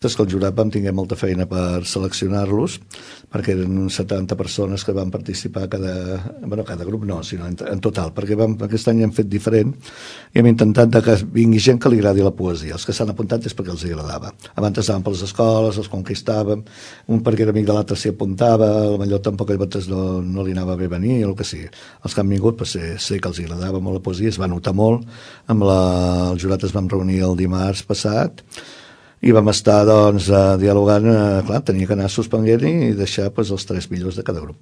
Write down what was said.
Des que el jurat vam tingué molta feina per seleccionar-los, perquè eren uns 70 persones que van participar cada grup no, sinó en total, perquè aquest any hem fet diferent i hem intentat que vingui gent que li agradi la poesia. Els que s'han apuntat és perquè els agradava. Abans estaven per les escoles, els conquistàvem, un perquè era amic de l'altre s'hi apuntava, potser tampoc a vegades no li anava bé venir, o el que sigui. Els que han vingut, sé que els agradava molt la poesia, es va notar molt. El jurat es vam reunir el dimarts passat i vam estar dialogant, clar, tenia que anar suspenent i deixar els 3 millors de cada grup.